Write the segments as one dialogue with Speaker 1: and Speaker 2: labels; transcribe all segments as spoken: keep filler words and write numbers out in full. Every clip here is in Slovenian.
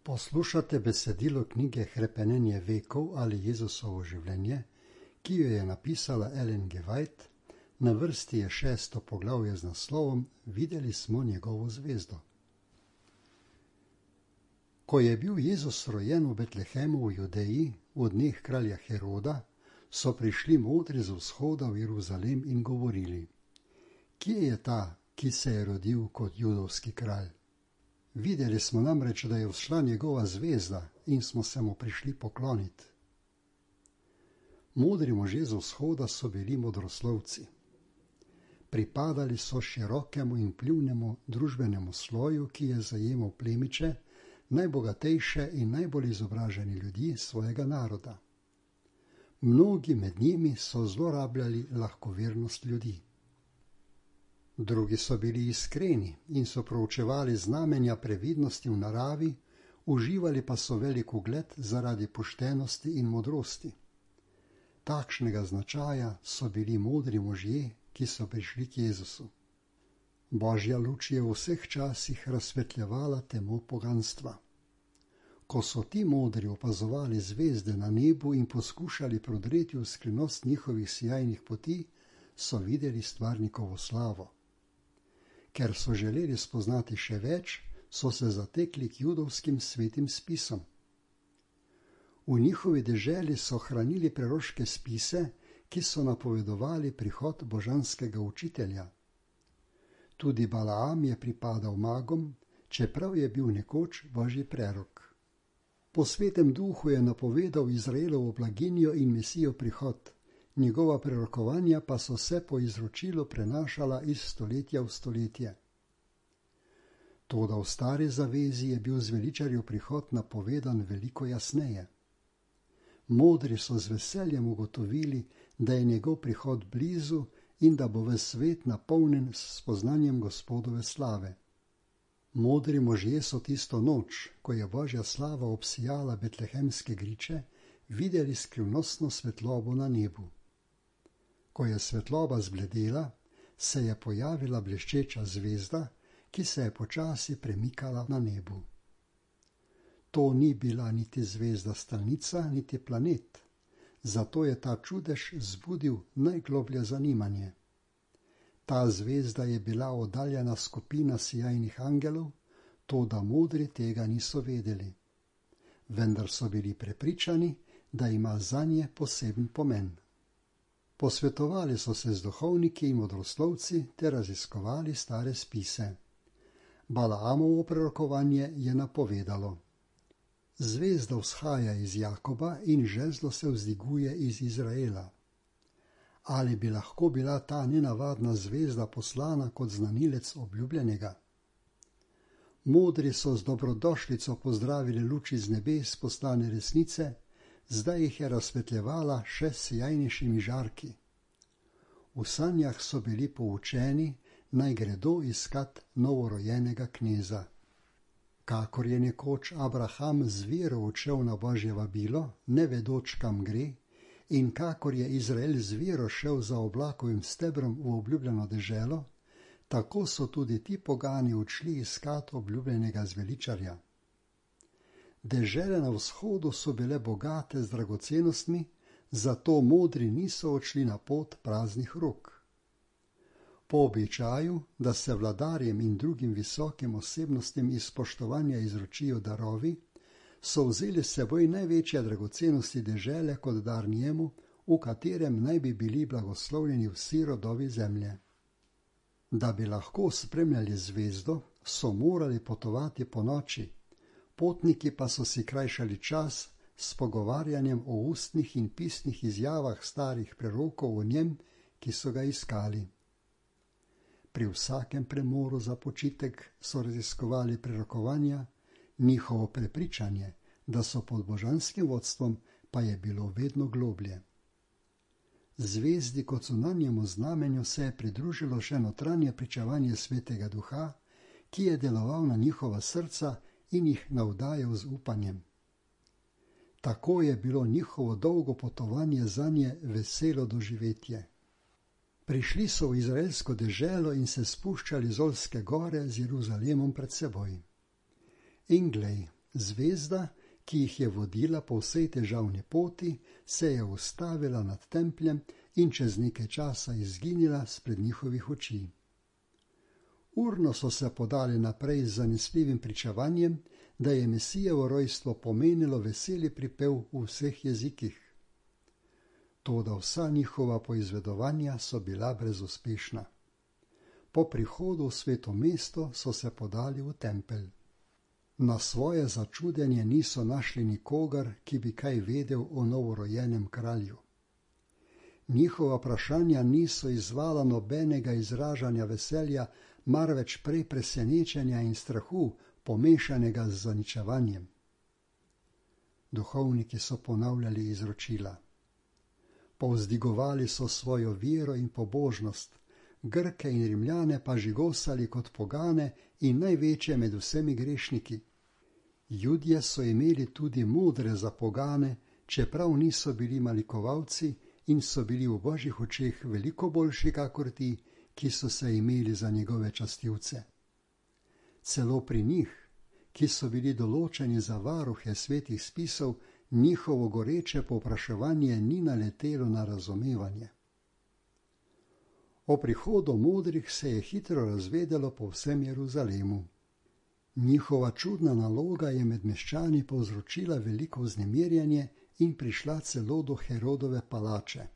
Speaker 1: Poslušate besedilo knjige Hrepenenje vekov ali Jezusovo življenje, ki jo je napisala Ellen G. White. Na vrsti je šesto poglavje z naslovom Videli smo njegovo zvezdo. Ko je bil Jezus rojen v Betlehemu v Judeji v dneh kralja Heroda, so prišli modri z vzhoda v Jeruzalem in govorili: Kje je ta, ki se je rodil kot judovski kralj? Videli smo namreč, da je vzšla njegova zvezda in smo se mu prišli pokloniti. Modri možje z vzhoda so bili modroslovci. Pripadali so širokemu in vplivnemu družbenemu sloju, ki je zajemal plemiče, najbogatejše in najbolj izobraženi ljudi svojega naroda. Mnogi med njimi so zlorabljali lahkovernost ljudi. Drugi so bili iskreni in so proučevali znamenja previdnosti v naravi, uživali pa so velik ugled zaradi poštenosti in modrosti. Takšnega značaja so bili modri možje, ki so prišli k Jezusu. Božja luč je v vseh časih razsvetljevala temo poganstva. Ko so ti modri opazovali zvezde na nebu in poskušali prodreti v skrivnost njihovih sijajnih poti, so videli stvarnikovo slavo. Ker so želeli spoznati še več, so se zatekli k judovskim svetim spisom. V njihovi deželi so hranili preroške spise, ki so napovedovali prihod božanskega učitelja. Tudi Balaam je pripadal magom, čeprav je bil nekoč božji prerok. Po svetem duhu je napovedal Izraelovo blaginjo in Mesijo prihod, njegova prerokovanja pa so se po izročilu prenašala iz stoletja v stoletje. Toda v stari zavezi je bil zveličarjev prihod napovedan veliko jasneje. Modri so z veseljem ugotovili, da je njegov prihod blizu in da bo ves svet napolnjen s spoznanjem Gospodove slave. Modri možje so tisto noč, ko je Božja slava obsijala betlehemske griče, videli skrivnostno svetlobo na nebu. Ko je svetloba zbledela, se je pojavila bleščeča zvezda, ki se je počasi premikala na nebu. To ni bila niti zvezda stalnica, niti planet, zato je ta čudež zbudil najgloblje zanimanje. Ta zvezda je bila oddaljena skupina sijajnih angelov, toda modri tega niso vedeli. Vendar so bili prepričani, da ima zanje poseben pomen. Posvetovali so se z duhovniki in modroslovci ter raziskovali stare spise. Balaamovo prerokovanje je napovedalo: Zvezda vzhaja iz Jakoba in žezlo se vzdiguje iz Izraela. Ali bi lahko bila ta nenavadna zvezda poslana kot znanilec obljubljenega? Modri so z dobrodošlico pozdravili luč iz nebes poslane resnice, zdaj jih je razsvetljevala še s sijajnejšimi žarki. V sanjah so bili poučeni, naj gredo iskat novorojenega kneza. Kakor je nekoč Abraham z vero odšel na Božje vabilo, ne vedoč, kam gre, in kakor je Izrael z vero šel za oblakovim stebrom v obljubljeno deželo, tako so tudi ti pogani odšli iskat obljubljenega zveličarja. Dežele na vzhodu so bile bogate z dragocenostmi, zato modri niso odšli na pot praznih rok. Po običaju, da se vladarjem in drugim visokim osebnostim iz spoštovanja izročijo darovi, so vzeli s seboj največje dragocenosti dežele kot dar njemu, v katerem naj bi bili blagoslovljeni vsi rodovi zemlje. Da bi lahko spremljali zvezdo, so morali potovati po noči, potniki pa so si krajšali čas s pogovarjanjem o ustnih in pisnih izjavah starih prerokov o njem, ki so ga iskali. Pri vsakem premoru za počitek so raziskovali prerokovanja, njihovo prepričanje, da so pod božanskim vodstvom, pa je bilo vedno globlje. Zvezdi kot zunanjemu znamenju se je pridružilo še notranje pričevanje Svetega Duha, ki je deloval na njihova srca in jih navdajal z upanjem. Tako je bilo njihovo dolgo potovanje zanje veselo doživetje. Prišli so v izraelsko deželo in se spuščali z Olske gore z Jeruzalemom pred seboj. In glej, Zvezda, ki jih je vodila po vsej težavni poti, se je ustavila nad templjem in čez nekaj časa izginila spred njihovih oči. Urno so se podali naprej z zanesljivim pričevanjem, da je Mesijevo rojstvo pomenilo veseli pripev v vseh jezikih. Toda vsa njihova poizvedovanja so bila brezuspešna. Po prihodu v sveto mesto so se podali v tempelj. Na svoje začudenje niso našli nikogar, ki bi kaj vedel o novorojenem kralju. Njihova vprašanja niso izvala nobenega izražanja veselja, marveč prej presenečenja in strahu, pomešanega z zaničevanjem. Duhovniki so ponavljali izročila. Povzdigovali so svojo vero in pobožnost, Grke in Rimljane pa žigosali kot pogane in največje med vsemi grešniki. Judje so imeli tudi modre za pogane, čeprav niso bili malikovalci in so bili v božjih očeh veliko boljši kakor ti, ki so se imeli za njegove častilce. Celo pri njih, ki so bili določeni za varuhe svetih spisov, njihovo goreče povpraševanje ni naletelo na razumevanje. O prihodu modrih se je hitro razvedelo po vsem Jeruzalemu. Njihova čudna naloga je med meščani povzročila veliko vznemirjanje in prišla celo do Herodove palače.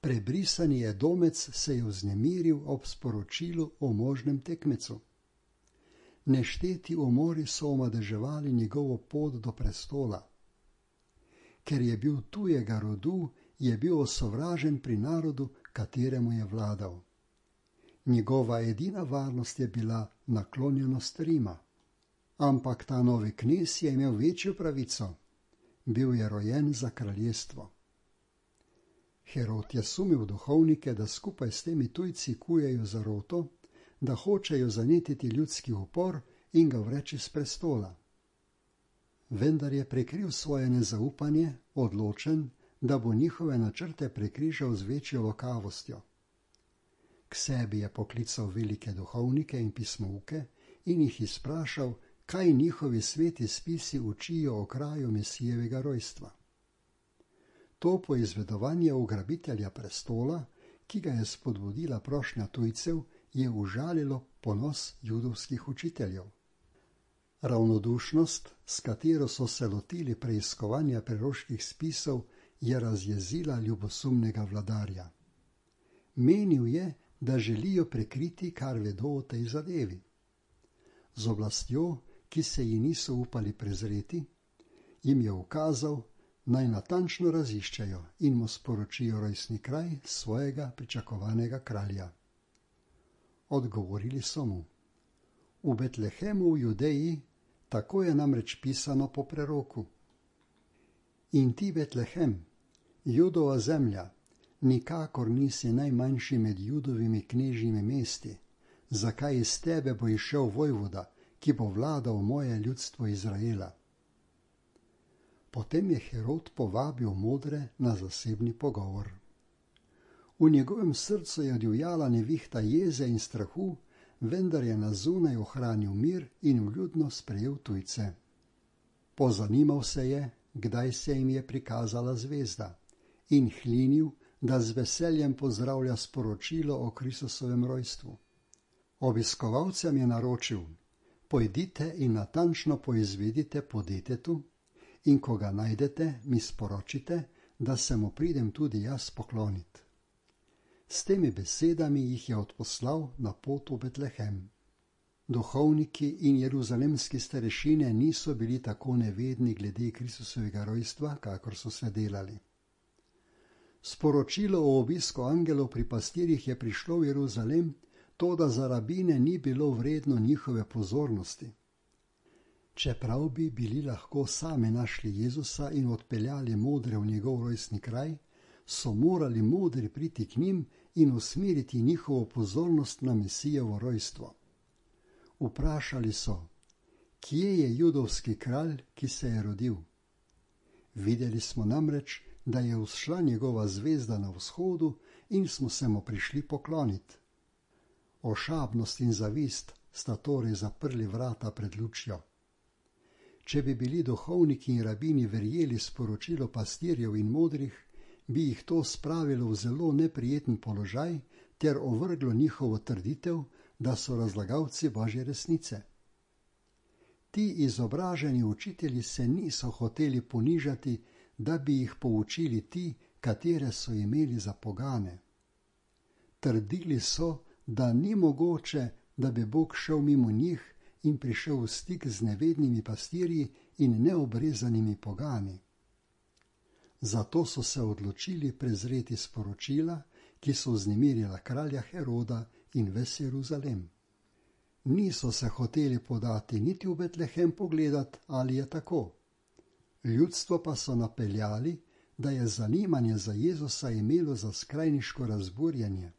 Speaker 1: Prebrisani Edomec se je vznemiril ob sporočilu o možnem tekmecu. Nešteti umori so omadeževali njegovo pot do prestola. Ker je bil tujega rodu, je bil osovražen pri narodu, kateremu je vladal. Njegova edina varnost je bila naklonjenost Rima. Ampak ta novi knez je imel večjo pravico. Bil je rojen za kraljestvo. Herod je sumil duhovnike, da skupaj s temi tujci kujejo zaroto, da hočejo zanetiti ljudski upor in ga vreči s prestola. Vendar je prekril svoje nezaupanje, odločen, da bo njihove načrte prekrižal z večjo lokavostjo. K sebi je poklical velike duhovnike in pismouke in jih izprašal, kaj njihovi sveti spisi učijo o kraju Mesijevega rojstva. To poizvedovanje ugrabitelja prestola, ki ga je spodbudila prošnja tujcev, je užalilo ponos judovskih učiteljev. Ravnodušnost, s katero so se lotili preiskovanja preroških spisov, je razjezila ljubosumnega vladarja. Menil je, da želijo prekriti, kar vedo o tej zadevi. Z oblastjo, ki se ji niso upali prezreti, jim je ukazal, naj natančno raziščejo in mu sporočijo rojstni kraj svojega pričakovanega kralja. Odgovorili so mu: v Betlehemu v Judeji, tako je namreč pisano po preroku. In ti, Betlehem, Judova zemlja, nikakor nisi najmanjši med Judovimi knežjimi mesti, zakaj iz tebe bo izšel vojvoda, ki bo vladal moje ljudstvo Izraela. Potem je Herod povabil modre na zasebni pogovor. V njegovem srcu je divjala nevihta jeze in strahu, vendar je na zunaj ohranil mir in vljudno sprejel tujce. Pozanimal se je, kdaj se jim je prikazala zvezda, in hlinil, da z veseljem pozdravlja sporočilo o Kristusovem rojstvu. Obiskovalcem je naročil: pojdite in natančno poizvedite po detetu, in ko ga najdete, mi sporočite, da se mu pridem tudi jaz poklonit. S temi besedami jih je odposlal na pot v Betlehem. Duhovniki in jeruzalemski starešine niso bili tako nevedni glede Kristusovega rojstva, kakor so se delali. Sporočilo o obisku angelov pri pastirjih je prišlo v Jeruzalem, toda za rabine ni bilo vredno njihove pozornosti. Čeprav bi bili lahko sami našli Jezusa in odpeljali modre v njegov rojstni kraj, so morali modri priti k njim in usmeriti njihovo pozornost na Mesijevo rojstvo. Vprašali so: kje je judovski kralj, ki se je rodil? Videli smo namreč, da je vzšla njegova zvezda na vzhodu in smo se mu prišli pokloniti. Ošabnost in zavist sta torej zaprli vrata pred lučjo. Če bi bili duhovniki in rabini verjeli sporočilo pastirjev in modrih, bi jih to spravilo v zelo neprijeten položaj ter ovrglo njihovo trditev, da so razlagalci Božje resnice. Ti izobraženi učitelji se niso hoteli ponižati, da bi jih poučili ti, katere so imeli za pogane. Trdili so, da ni mogoče, da bi Bog šel mimo njih in prišel v stik z nevednimi pastirji in neobrezanimi pogani. Zato so se odločili prezreti sporočila, ki so vznemirila kralja Heroda in ves Jeruzalem. Niso se hoteli podati niti v Betlehem pogledat, ali je tako. Ljudstvo pa so napeljali, da je zanimanje za Jezusa imelo za skrajniško razburjenje.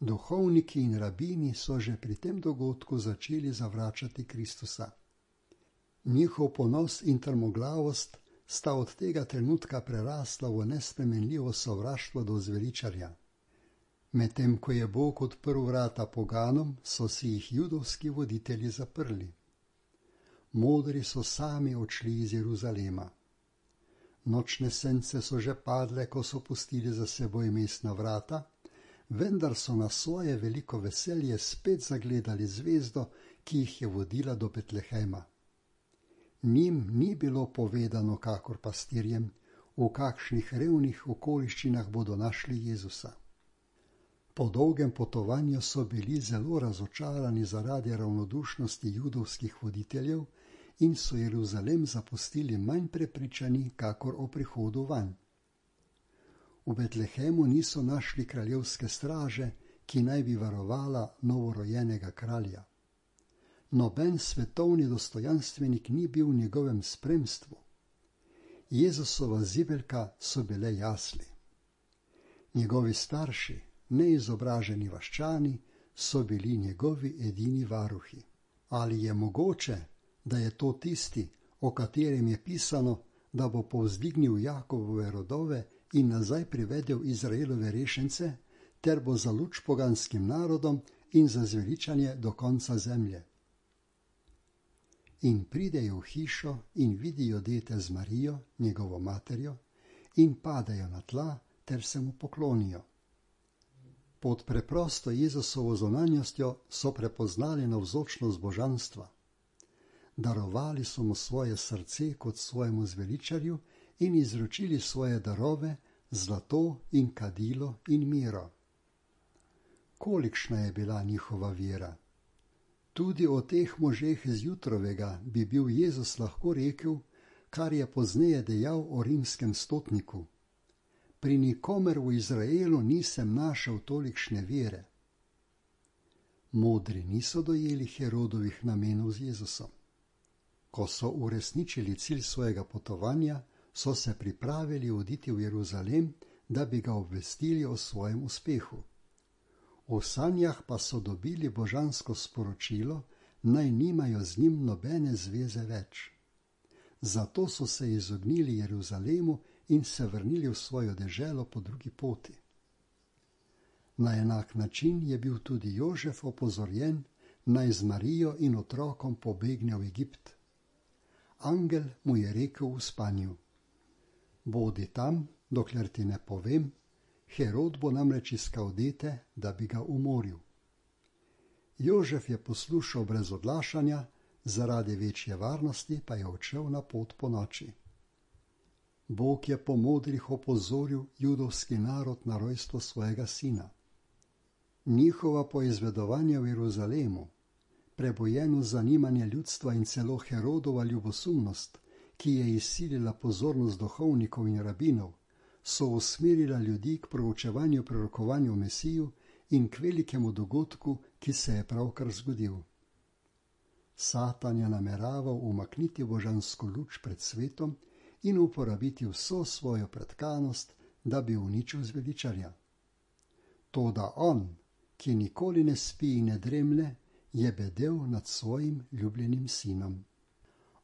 Speaker 1: Duhovniki in rabini so že pri tem dogodku začeli zavračati Kristusa. Njihov ponos in trmoglavost sta od tega trenutka prerasla v nespremenljivo sovraštvo do zveličarja. Medtem ko je Bog odprl vrata poganom, so si jih judovski voditelji zaprli. Modri so sami odšli iz Jeruzalema. Nočne sence so že padle, ko so pustili za seboj mestna vrata, vendar so na svoje veliko veselje spet zagledali zvezdo, ki jih je vodila do Betlehema. Njim ni bilo povedano, kakor pastirjem, v kakšnih revnih okoliščinah bodo našli Jezusa. Po dolgem potovanju so bili zelo razočarani zaradi ravnodušnosti judovskih voditeljev in so Jeruzalem zapustili manj prepričani, kakor o prihodu vanj. V Betlehemu niso našli kraljevske straže, ki naj bi varovala novorojenega kralja. Noben svetovni dostojanstvenik ni bil v njegovem spremstvu. Jezusova zibelka so bile jasli. Njegovi starši, neizobraženi vaščani, so bili njegovi edini varuhi. Ali je mogoče, da je to tisti, o katerem je pisano, da bo povzdignil Jakobove rodove in nazaj privedel Izraelove rešence, ter bo za luč poganskim narodom in za zveličanje do konca zemlje. In pridejo v hišo in vidijo dete z Marijo, njegovo materjo, in padejo na tla ter se mu poklonijo. Pod preprosto Jezusovo zunanjostjo so prepoznali navzočnost božanstva. Darovali so mu svoje srce kot svojemu zveličarju in izročili svoje darove, zlato in kadilo in miro. Kolikšna je bila njihova vera? Tudi o teh možeh zjutrovega bi bil Jezus lahko rekel, kar je pozneje dejal o rimskem stotniku. Pri nikomer v Izraelu nisem našel tolikšne vere. Modri niso dojeli Herodovih namenov z Jezusom. Ko so uresničili cilj svojega potovanja, so se pripravili oditi v Jeruzalem, da bi ga obvestili o svojem uspehu. V sanjah pa so dobili božansko sporočilo, naj nimajo z njim nobene zveze več. Zato so se izognili Jeruzalemu in se vrnili v svojo deželo po drugi poti. Na enak način je bil tudi Jožef opozorjen, naj z Marijo in otrokom pobegne v Egipt. Angel mu je rekel v spanju: bodi tam, dokler ti ne povem, Herod bo namreč iskal dete, da bi ga umoril. Jožef je poslušal brez odlašanja, zaradi večje varnosti pa je odšel na pot po noči. Bog je po modrih opozoril judovski narod na rojstvo svojega sina. Njihova poizvedovanja v Jeruzalemu, prebojeno zanimanje ljudstva in celo Herodova ljubosumnost, ki je izsilila pozornost duhovnikov in rabinov, so usmerila ljudi k proučevanju prorokovanja o Mesiju in k velikemu dogodku, ki se je pravkar zgodil. Satan je nameraval umakniti božansko luč pred svetom in uporabiti vso svojo pretkanost, da bi uničil zveličarja. Toda on, ki nikoli ne spi in ne dremlje, je bedel nad svojim ljubljenim sinom.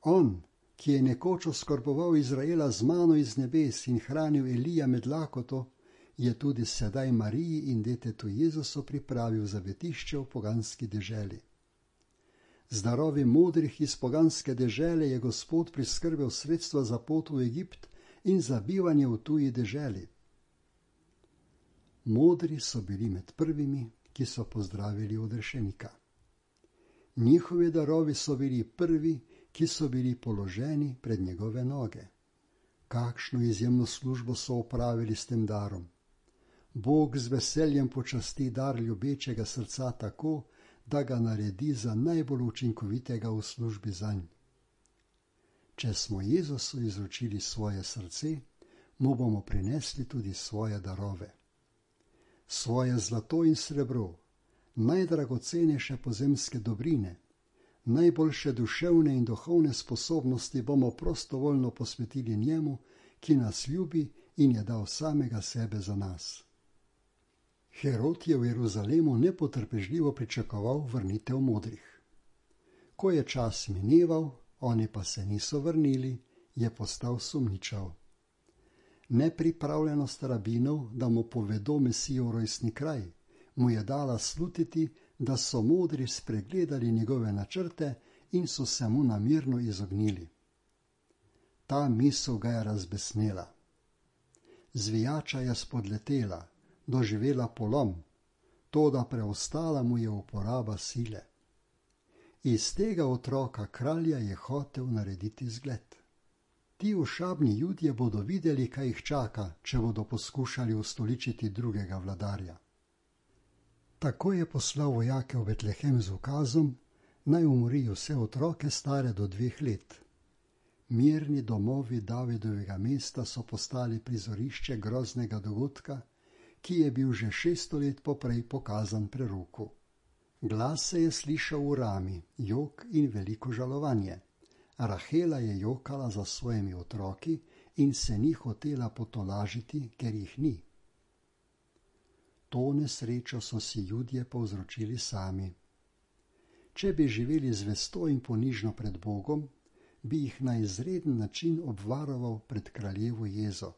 Speaker 1: On, ki je nekoč oskrboval Izraela z mano iz nebes in hranil Elija med lakoto, je tudi sedaj Mariji in detetu Jezusu pripravil zavetišče v poganski deželi. Z darovi modrih iz poganske dežele je Gospod priskrbel sredstva za pot v Egipt in za bivanje v tuji deželi. Modri so bili med prvimi, ki so pozdravili odrešenika. Njihovi darovi so bili prvi, ki so bili položeni pred njegove noge. Kakšno izjemno službo so opravili s tem darom. Bog z veseljem počasti dar ljubečega srca tako, da ga naredi za najbolj učinkovitega v službi zanj. Če smo Jezusu izročili svoje srce, mu bomo prinesli tudi svoje darove. Svoje zlato in srebro, najdragocenejše pozemske dobrine, najboljše duševne in duhovne sposobnosti bomo prostovoljno posvetili njemu, ki nas ljubi in je dal samega sebe za nas. Herod je v Jeruzalemu nepotrpežljivo pričakoval vrnitev modrih. Ko je čas mineval, oni pa se niso vrnili, je postal sumničav. Nepripravljenost rabinov, da mu povedo Mesijev rojstni kraj, mu je dala slutiti, da so modri spregledali njegove načrte in so se mu namerno izognili. Ta misel ga je razbesnela. Zvijača je spodletela, doživela polom, toda preostala mu je uporaba sile. Iz tega otroka kralja je hotel narediti zgled. Ti ošabni Judje bodo videli, kaj jih čaka, če bodo poskušali ustoličiti drugega vladarja. Tako je poslal vojake v Betlehem z ukazom, naj umorijo vse otroke stare do dveh let. Mirni domovi Davidovega mesta so postali prizorišče groznega dogodka, ki je bil že šeststo let poprej pokazan preroku. Glas se je slišal v Rami, jok in veliko žalovanje. Rahela je jokala za svojimi otroki in se ni hotela potolažiti, ker jih ni. To nesrečo so si Judje povzročili sami. Če bi živeli zvesto in ponižno pred Bogom, bi jih na izreden način obvaroval pred kraljevo jezo.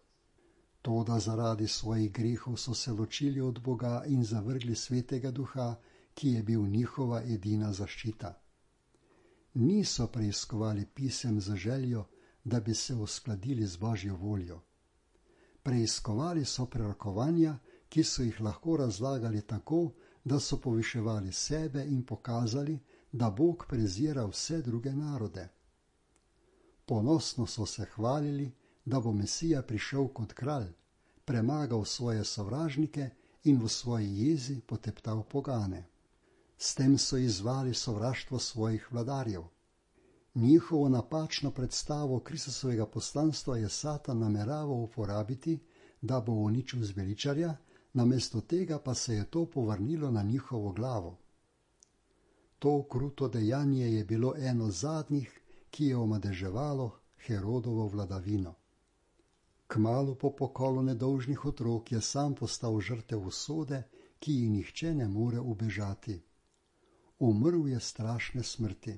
Speaker 1: Toda zaradi svojih grehov so se ločili od Boga in zavrgli svetega duha, ki je bil njihova edina zaščita. Niso preiskovali pisem z željo, da bi se uskladili z Božjo voljo. Preiskovali so prerokovanja, ki so jih lahko razlagali tako, da so poviševali sebe in pokazali, da Bog prezira vse druge narode. Ponosno so se hvalili, da bo Mesija prišel kot kralj, premagal svoje sovražnike in v svoji jezi poteptal pogane. S tem so izzvali sovraštvo svojih vladarjev. Njihovo napačno predstavo Kristusovega poslanstva je Satan nameraval uporabiti, da bo uničil zveličarja, namesto tega pa se je to povrnilo na njihovo glavo. To kruto dejanje je bilo eno zadnjih, ki je omadeževalo Herodovo vladavino. Kmalu po pokolu nedolžnih otrok je sam postal žrtev usode, ki ji nihče ne more ubežati. Umrl je strašne smrti.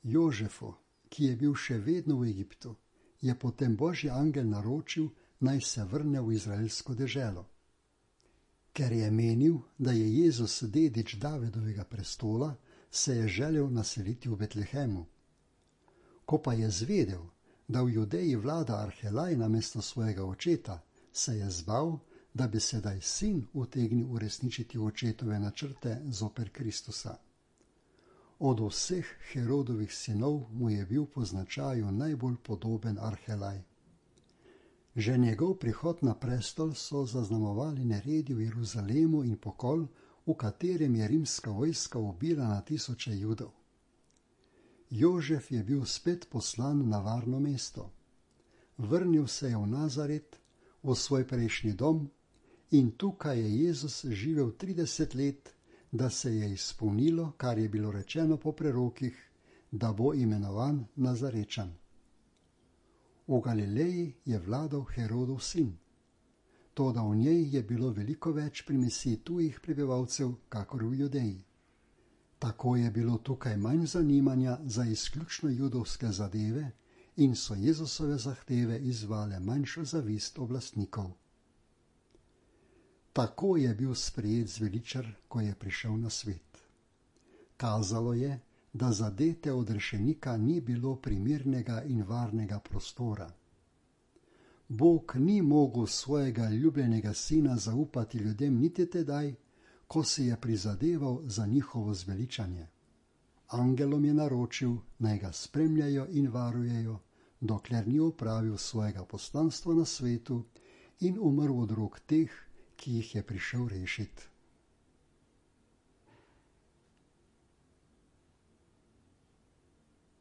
Speaker 1: Jožefu, ki je bil še vedno v Egiptu, je potem Božji angel naročil, naj se vrne v izraelsko deželo. Ker je menil, da je Jezus dedič Davidovega prestola, se je želel naseliti v Betlehemu. Ko pa je zvedel, da v Judeji vlada Arhelaj namesto svojega očeta, se je zbal, da bi sedaj sin utegnil uresničiti očetove načrte zoper Kristusa. Od vseh Herodovih sinov mu je bil po značaju najbolj podoben Arhelaj. Že njegov prihod na prestol so zaznamovali neredi v Jeruzalemu in pokol, v katerem je rimska vojska ubila na tisoče Judov. Jožef je bil spet poslan na varno mesto. Vrnil se je v Nazaret, v svoj prejšnji dom, in tukaj je Jezus živel trideset let, da se je izpolnilo, kar je bilo rečeno po prerokih, da bo imenovan Nazarečan. V Galileji je vladal Herodov sin, toda v njej je bilo veliko več primesi tujih prebivalcev, kakor v Judeji. Tako je bilo tukaj manj zanimanja za izključno judovske zadeve in so Jezusove zahteve izzvale manjšo zavist oblastnikov. Tako je bil sprejet zveličar, ko je prišel na svet. Kazalo je, da za dete odrešenika ni bilo primernega in varnega prostora. Bog ni mogel svojega ljubljenega sina zaupati ljudem niti tedaj, ko si je prizadeval za njihovo zveličanje. Angelom je naročil, naj ga spremljajo in varujejo, dokler ni opravil svojega poslanstva na svetu in umrl od rok teh, ki jih je prišel rešiti.